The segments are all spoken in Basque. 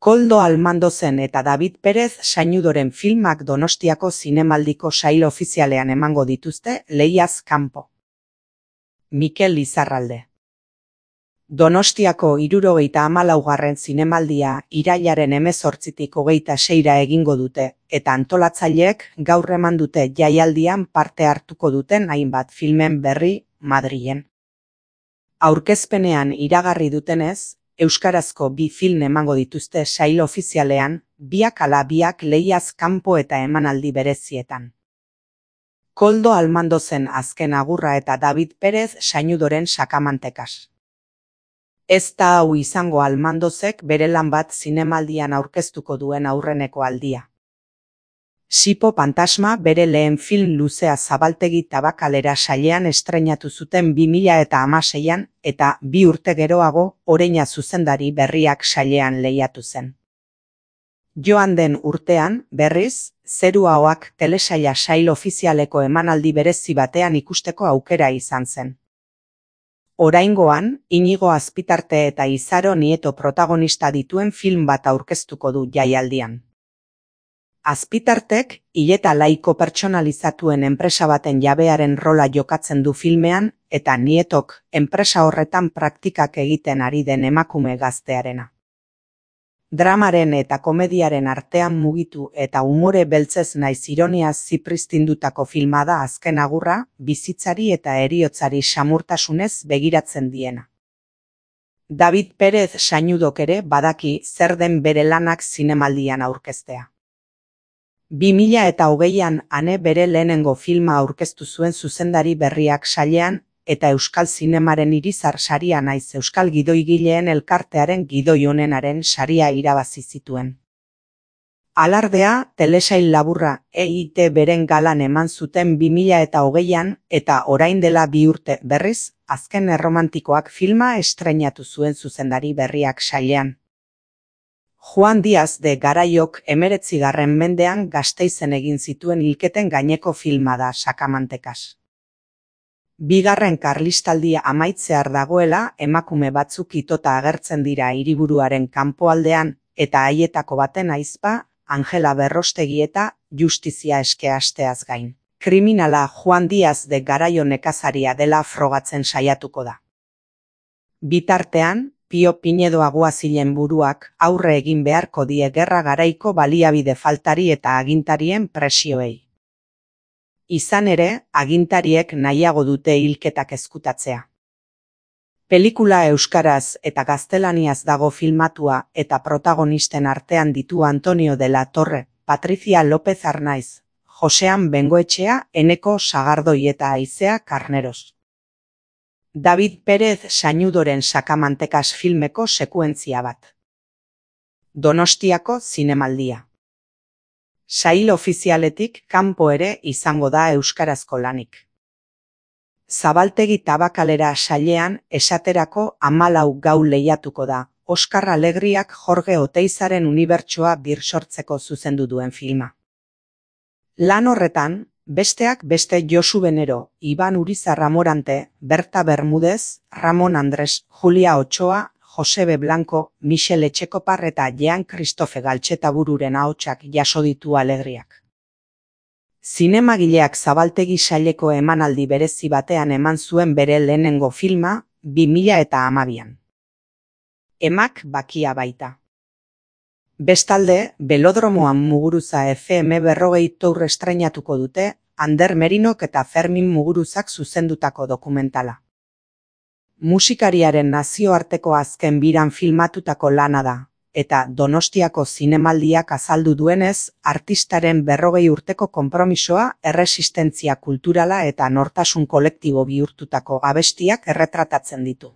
Koldo Almandozen eta David Perez Sañudoren filmak Donostiako zinemaldiko sail ofizialean emango dituzte lehiaz kanpo. Mikel Lizarralde. Donostiako 74. zinemaldia irailaren 18tik 26ra egingo dute, eta antolatzaileek gaur eman dute jaialdian parte hartuko duten hainbat filmen berri Madrilen. Aurkezpenean iragarri dutenez, euskarazko 2 film emango dituzte sail ofizialean, biak ala biak lehiaz kanpo eta emanaldi berezietan. Koldo Almandozen azken agurra eta David Perez Sañudoren sakamantekas. Ez da hau izango Almandozek bere lan bat zinemaldian aurkeztuko duen aurreneko aldia. Sipo Pantasma bere lehen film luzea Zabaltegi Tabakalera sailean estreinatu zuten 2016an eta 2 urte geroago Oreina zuzendari berriak sailean lehiatu zen. Joan den urtean, berriz, Zeru Ahoak telesaila sail ofizialeko emanaldi berezi batean ikusteko aukera izan zen. Oraingoan, Inigo Azpitarte eta Izaro Nieto protagonista dituen film bat aurkeztuko du jaialdian. Azpitartek, hileta laiko pertsonalizatuen enpresa baten jabearen rola jokatzen du filmean, eta Nietok, enpresa horretan praktikak egiten ari den emakume gaztearena. Dramaren eta komediaren artean mugitu eta umore beltzez naiz ironiaz zipristindutako filma da azken agurra, bizitzari eta heriotzari samurtasunez begiratzen diena. David Perez Sañudok ere badaki zer den bere lanak zinemaldian aurkeztea. 2020an ane bere lehenengo filma aurkeztu zuen zuzendari berriak sailean, eta Euskal Zinemaren Irizar saria naiz Euskal Gidoigileen Elkartearen gidoi onenaren saria irabazi zituen. Alardea, telesail laburra EIT beren galan eman zuten 2020an eta orain dela 2 urte berriz, Azken Erromantikoak filma estreinatu zuen zuzendari berriak sailean. Juan Diaz de Garaiok 19. mendean Gasteizen egin zituen hilketen gaineko filma da sakamantekas. Bigarren Karlistaldia amaitzear dagoela, emakume batzuk itota agertzen dira hiriburuaren kanpoaldean, eta haietako baten ahizpa, Angela Berrostegi eta justizia eske asteaz gain. Kriminala Juan Diaz de Garaio nekazaria dela frogatzen saiatuko da. Bitartean, Pio Pinedo Aguazilen buruak aurre egin beharko die gerra garaiko baliabide faltari eta agintarien presioei. Izan ere, agintariek nahiago dute hilketak ezkutatzea. Pelikula euskaraz eta gaztelaniaz dago filmatua eta protagonisten artean ditu Antonio de la Torre, Patricia López Arnaiz, Josean Bengoetxea, Eneko Sagardoi eta Aizea Karneros. David Perez Sañudoren sakamantekas filmeko sekuentzia bat. Donostiako zinemaldia. Sail ofizialetik kanpo ere izango da euskarazko lanik. Zabaltegi Tabakalera sailean esaterako 14 gau lehiatuko da, Oskar Alegriak Jorge Oteizaren unibertsoa birsortzeko zuzendu duen filma. Lan horretan, besteak beste Josu Benero, Iban Urizar Amorante, Berta Bermúdez, Ramon Andres, Julia Ochoa, Josebe Blanco, Michel Etxekopar eta Jean Christophe Galtxetabururen ahotsak jaso ditu Alegriak. Zinemagileak Zabaltegi saileko emanaldi berezi batean eman zuen bere lehenengo filma, 2012an. Emak bakia baita. Bestalde, Belodromoan Muguruza FM 40 tour estreinatuko dute, Ander Merinok eta Fermin Muguruzak zuzendutako dokumentala. Musikariaren nazioarteko azken biran filmatutako lana da, eta Donostiako zinemaldiak azaldu duenez, artistaren 40 urteko konpromisoa, erresistentzia kulturala eta nortasun kolektibo bihurtutako abestiak erretratatzen ditu.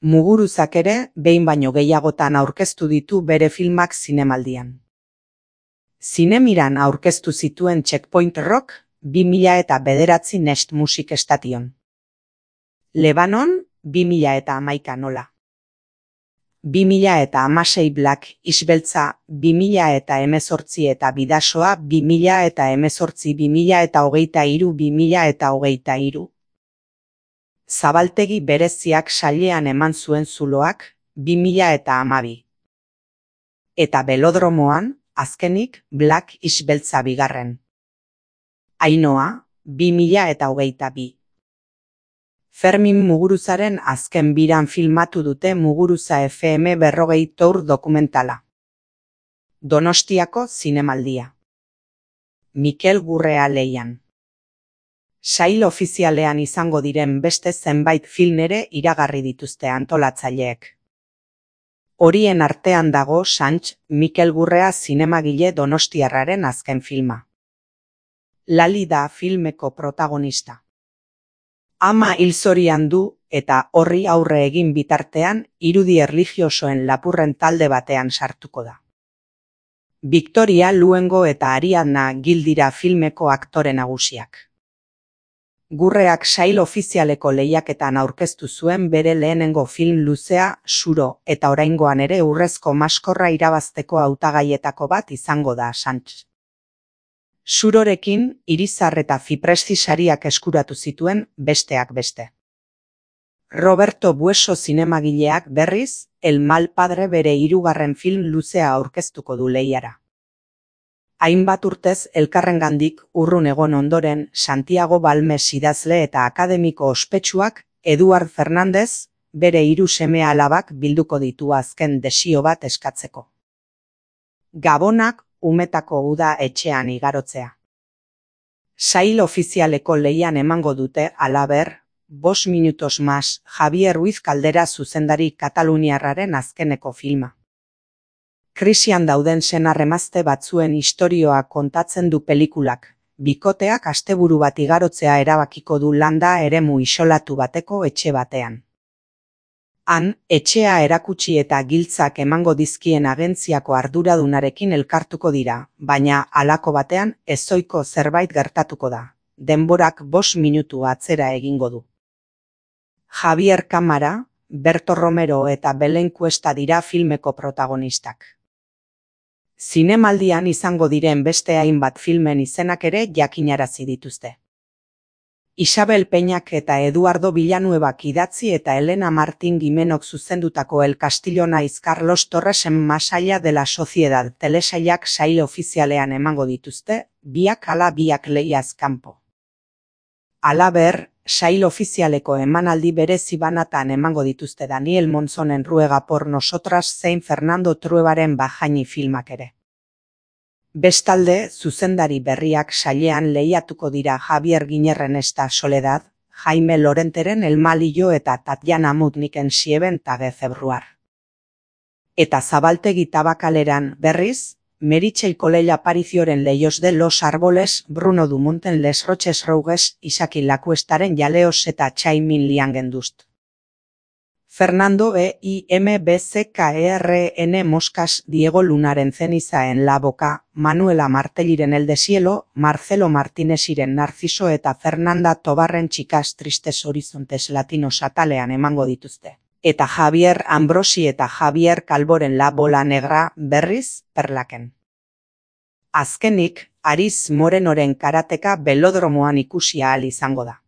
Muguruzak ere, behin baino gehiagotan aurkeztu ditu bere filmak zinemaldian. Zinemiran aurkeztu zituen Checkpoint Rock, 2009 Nest Music Station. Lebanon, 2011 nola. 2016 Black Isbeltza, 2018 eta Bidasoa, 2018-2023-2023. Zabaltegi bereziak sailean eman zuen zuloak, 2012. eta Belodromoan, azkenik, Black is beltza bigarren. Ainhoa, 2022. Fermin Muguruzaren azken biran filmatu dute Muguruza FM 40 Tour dokumentala. Donostiako zinemaldia. Mikel Gurrea leian. Sail ofizialean izango diren beste zenbait film ere iragarri dituzte antolatzaileek. Horien artean dago Sanch, Mikel Gurrea zinemagile donostiarraren azken filma. Lali da filmeko protagonista. Ama hil zorian du eta horri aurre egin bitartean irudi erlijiosoen lapurren talde batean sartuko da. Victoria Luengo eta Ariadna Gil dira filmeko aktore nagusiak. Gurreak sail ofizialeko lehiaketan aurkeztu zuen bere lehenengo film luzea, Suro, eta oraingoan ere Urrezko Maskorra irabazteko hautagaietako bat izango da Sanch. Surorekin Irizar eta Fipresti sariak eskuratu zituen besteak beste. Roberto Bueso zinemagileak berriz, El mal padre bere hirugarren film luzea aurkeztuko du lehiara. Hainbat urtez elkarrengandik urrun egon ondoren Santiago Balmes idazle eta akademiko ospetsuak Eduard Fernandez bere hiru seme-alabak bilduko ditu azken desio bat eskatzeko. Gabonak umetako uda etxean igarotzea. Sail ofizialeko lehian emango dute halaber, 5 minutos más Javier Ruiz Caldera zuzendari kataluniarraren azkeneko filma. Krisian dauden senar-emazte batzuen istorioa kontatzen du pelikulak, bikoteak asteburu bat igarotzea erabakiko du landa eremu isolatu bateko etxe batean. Han, etxea erakutsi eta giltzak emango dizkien agentziako arduradunarekin elkartuko dira, baina halako batean ezohiko zerbait gertatuko da. Denborak 5 minutu atzera egingo du. Javier Kamara, Berto Romero eta Belen Cuesta dira filmeko protagonistak. Zinemaldian izango diren beste hainbat filmen izenak ere jakinarazi dituzte. Isabel Peñak eta Eduardo Villanuevak idatzi eta Elena Martín Gimenok zuzendutako El Castillo naiz Carlos Torresen Más allá de la sociedad telesailak sail ofizialean emango dituzte, biak ala biak lehiaz kanpo. Halaber, sail ofizialeko emanaldi berezi banatan emango dituzte Daniel Monzonen Ruega por nosotras zein Fernando Truebaren Bajaini filmak ere. Bestalde, zuzendari berriak sailean lehiatuko dira Javier Giñerren Esta Soledad, Jaime Lorenteren El Malillo eta Tatiana Mutniken Sieben Tage Februar. Eta Zabaltegi Tabakaleran berriz, Meritxell Colella Aparicioren Leios de los Árboles, Bruno Dumonten Les Roches Rouges, Isaki Lacuestaren Jaleos eta Txaimin Liangendust. Fernando IMBCKERN Moscas, Diego Lunaren Ceniza en la Boca, Manuela Martelliren El Deshielo, Marcelo Martínesiren Narciso eta Fernanda Tobarren Chicas Tristes Horizontes Latinos atalean emango dituzte. Eta Javier Ambrosi eta Javier Calvoren La Bola Negra berriz Perlaken. Azkenik, Aris Morenoren karateka Belodromoan ikusi ahal izango da.